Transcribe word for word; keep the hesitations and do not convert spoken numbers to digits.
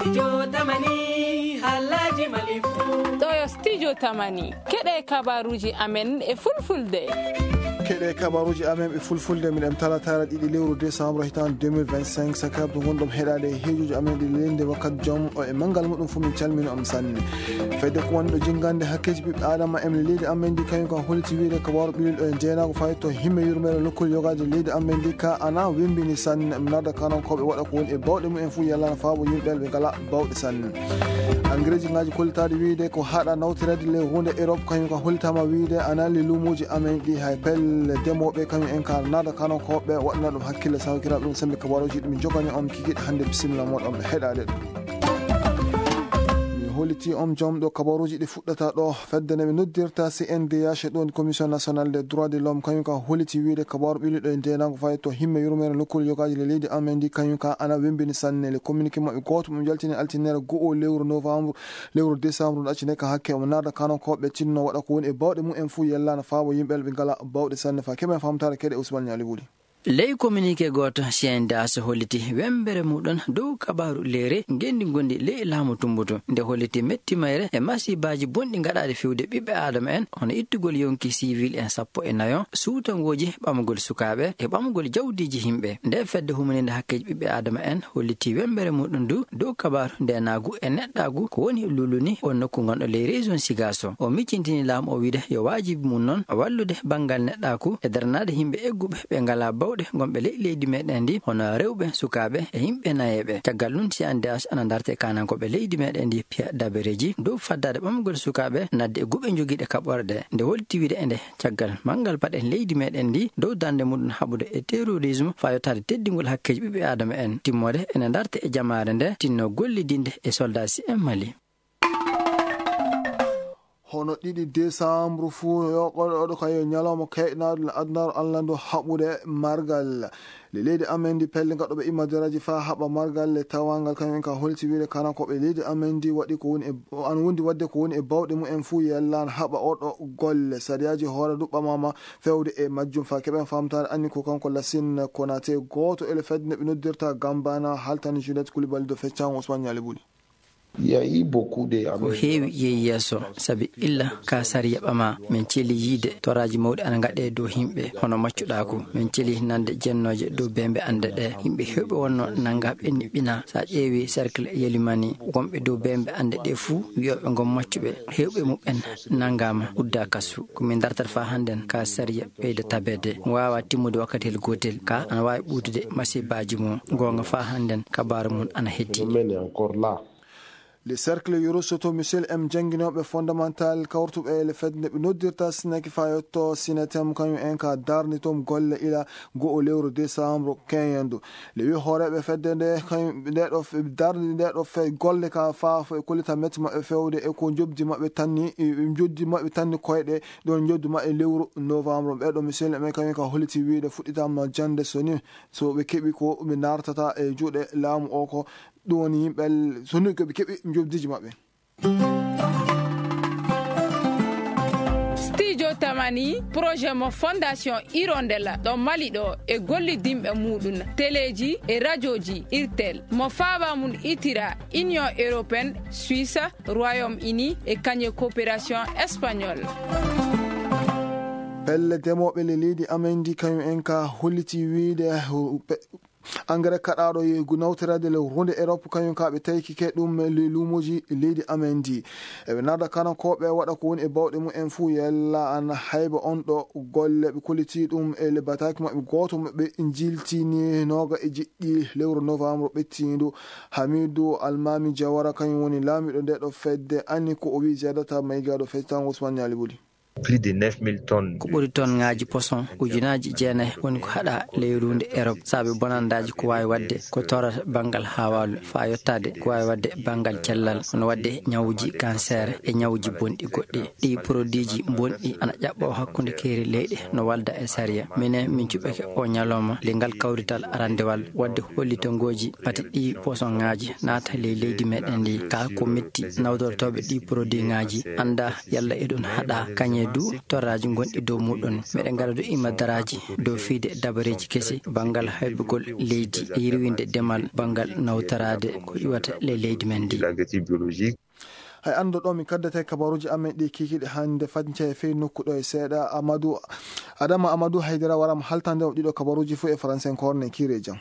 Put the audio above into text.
Studio Tamani, Halaji Malifu. Ɗo yo Studio Tamani. Keɗe kabaruji amen e fulfulde. Keɗe kabaruji amen e fulfulde, miɗen talatara ɗiɗi lewru décembre hitan deux mille vingt-cinq, sakabdo gonɗom heɗade e hejuji amen ɗi lende wakkati jom o e mangal muɗum fu min calmini on sanne. Fedde ko wonɗo jingande hakkeji ɓiɓɓe adama em le leydi amen ndi, kañum kan holiti wiide kabaru ɓilil ɗo e ndenago fayi to himme yurmere lokkol yogaji leydi amen ndi ka ana wembini sanne. Nada kanon koɓe waɗa ko woni e bawɗe mumen fu yallana faabo yimɓe ɓe ngala bawɗe sanne. Engrais ngaji kollitaɗi wiide ko haɗa nawtirede le hunde Europe, kañum kan holitama wiide ana le lumuji amen ɗi hay pelle demoɓe kañum en ka nada kanon koɓe waɗana ɗum hakkille sawkiraɓe ɗum sembe kabaruji ɗum jogani on kikiɗe hannde. Bisimilla moɗon ɓe heɗade ɗum. Mi holiti on jom ɗo kabaruji ɗi fuɗɗata ɗo. Fedde nde ɓe noddirta C N D H, ɗon Commission Nationale des Droits de l'Homme, kañum ka holiti wiide kabaru ɓili ɗo e ndenago fayi to himme yurmere lokkol yogaji le leydi amen ndi, kañum ka ana wembini sanne. Le communiqué maɓɓe goto mo jaltini altinere go'o lewru novembre, lewru décembre no accine ka hakke mo nada kanon koɓe tinno waɗa ko woni e bawɗe mumen fu yellana faabo yimɓe ɓe ngala bawɗe sanne. Fa keɓen famtare keɗe Ousmane Niali Wuli. Ley communiqué gooto, C N D H holliti wembere muɗum dow kabaaru leyre ngenndi ngondi ley laamu Tumbutu. Nde holliti metti mayre e masiibaaji bonɗi gaɗaaɗi fewde ɓiɓɓe aadama en, hono ittugol yonki siwil en sappo e nayo, suutangooji, ɓamugol sukaaɓe e ɓamugol jawdiiji yimɓe. Nde fedde humaninde hakkeeji ɓiɓɓe aadama en holliti wembere muɗum du dow kabaaru ndeenaagu e neɗɗaagu ko woni luuluni on nokku ngonɗo ley région Sigaso. O miccintini laamu o wiide yo waajibi mum noon wallude banngal neɗɗaaku e daranaade yimɓe egguɓe ɓe ngalaa bawɗe ngonɓe ley leydi meɗen ndi, hono rewɓe, sukaaɓe e yimɓe nayeeɓe. Caggal ɗum, C N D H ana darte kanankooɓe leydi meɗen ndi, Pierre Dabereji, dow faddaade ɓamgol sukaaɓe nadde e guɓe jogiiɗe kaɓorɗe. Nde holti wiide e nde caggal manngal mbaɗen leydi meɗen ndi dow darnde muɗum haɓude e terrorisme faa yottaade teddingol hakkeeji ɓiɓɓe aadama en, timmoode ene darte e jamaare nde tinno gollidinde e soldat C M Mali. Hono ɗiɗi décembre fuu, yo oɗo, oɗo kay yo ñalawma kayɗinaaɗo le adunaaru Alla ndu haɓude margal. Le leydi amen ndi pelle gaɗɗo ɓe imma daraji faa haɓa margal le tawangal kañum en ka holti wiide kana ko ɓe leydi amen ndi waɗi ko woni e, an wondi waɗde ko woni e bawɗe mumen fuu yellaan haɓa oɗo golle. Sariyaaji hoore du ɓamama fewde e majjum faa keɓen famtaare anni ko kanko Lassine Konaté gooto e le fedde nde ɓe noddirta Gambana haltani Juliette Koulibaly do feccango Ousmane Niali Buli. Ko heewi yehi yeeso, sabi illa ka sariya ɓama, min celi yiide toraaji mawɗi ana ngaɗe dow yimɓe, hono maccuɗaaku. Min celi nande jennooje dow bembe annde ɗe. Yimɓe heewɓe wonno nanga ɓenni ɓina. Sa ƴeewi cercle Yelimani, wonɓe dow bembe annde ɗe fuu, wiyooɓe ngon maccuɓe, heewɓe muɓɓen nangama, udda kasu. Ko min dartata faa hannden ka sariya ɓeyda tabeede. Waawa timmude wakkati hel gootel, ka ana waawi ɓuutude masibaaji mum. Goonga faa hannden kabaaru mum ana heddi. Le cercle Yorosoto Michel M jannginooɓe fondamental kawrutuɓe e le fedde nde ɓe noddirta Sinaki faa yotto Sinatem, kañum en ka darni toon golle ila go'o lewru décembre quinze. Le wi hooreeɓe fedde nde, kañum nde ɗo fe-, darni nde ɗo fe-, golle ka faa fo e kollita metti maɓɓe fewde e ko njobdi maɓɓe tanni, e njobdi maɓɓe tanni koyɗe ɗon njobdi maɓɓe lewru novembre. Ɓe ɗo Michel M kañum ka holliti wiide fuɗɗitama jannde so ni, so ɓe keɓi ko ɓe nartata e juuɗe laamu o ko ɗum woni yimɓe l-, so ni ko ɓe keɓi njobdiji maɓɓe. Studio Tamani, projet mo Fondation Hirondelle ɗo Mali ɗo e gollidinɓe muɗum, teleji e radioji Irtel, mo faaba mum itira Union Européenne, Suisse, Royaume-Uni e kañe coopération espagnole. Pelle demooɓe le leydi amen ndi kañum en ka holliti wiide, uh, pe-, engrais kaɗaaɗo e gu-, nawtoreede le runde Europe, kañum ka ɓe tawki ke ɗum e le luumuuji leydi amen ndi. Eɓe narda kanankooɓe waɗa ko woni e bawɗe mumen fuu yalla ana hayba on ɗo golle ɓe kolliti ɗum e le bataaki maɓɓe gooto maɓɓe njiltini nooga e jeɗɗi lewru novembre ɓettiindu. Hamidu Almami Jawara kañum woni laamiiɗo nde ɗo fedde, ani ko o wi'i Ziyadata Maygaaɗo feccango Ousmane Niali Buli. Plus de neuf mille tonnes. Ko ɓuri tonngaaji poson ujunaaji jeenayi woni ko haɗa ley ruunde Europe, saabe bonandaaji ko waawi waɗde ko torata banngal haawaalu, faa yottaade ko waawi waɗde banngal cellal, hono waɗde ñawuji cancer e ñawuji bonɗi goɗɗi. Ɗii produitji bonɗi ana ƴaɓɓoo hakkunde keeri leyɗe no walda e sariya. Minen, min cuɓɓake o ñalawma le ngal kawrital arandewal waɗde hollitangooji pati ɗii posonŋaaji naata ley leydi meɗen ndi. Kaa ko metti nawdortooɓe ɗii produitŋaaji annda yalla eɗum haɗa kañe Du torraaji gonɗi dow muɗon. Meɗen ngaɗa du imadaraaji dow fiyde dabareeji kesi banngal haybugol leydi e yirwinde demal banngal nawtoraade ko iwata ley leydi men ndi. Hay anndo ɗo min kaddata e kabaruuji amen ɗi kiikiiɗe hannde, faccee fey nokku ɗo e seeɗa. Amadou, Adama Amadou Haydara waraama haltande on ɗiɗo kabaruuji fof e faransenkoore. Ne kiire jam.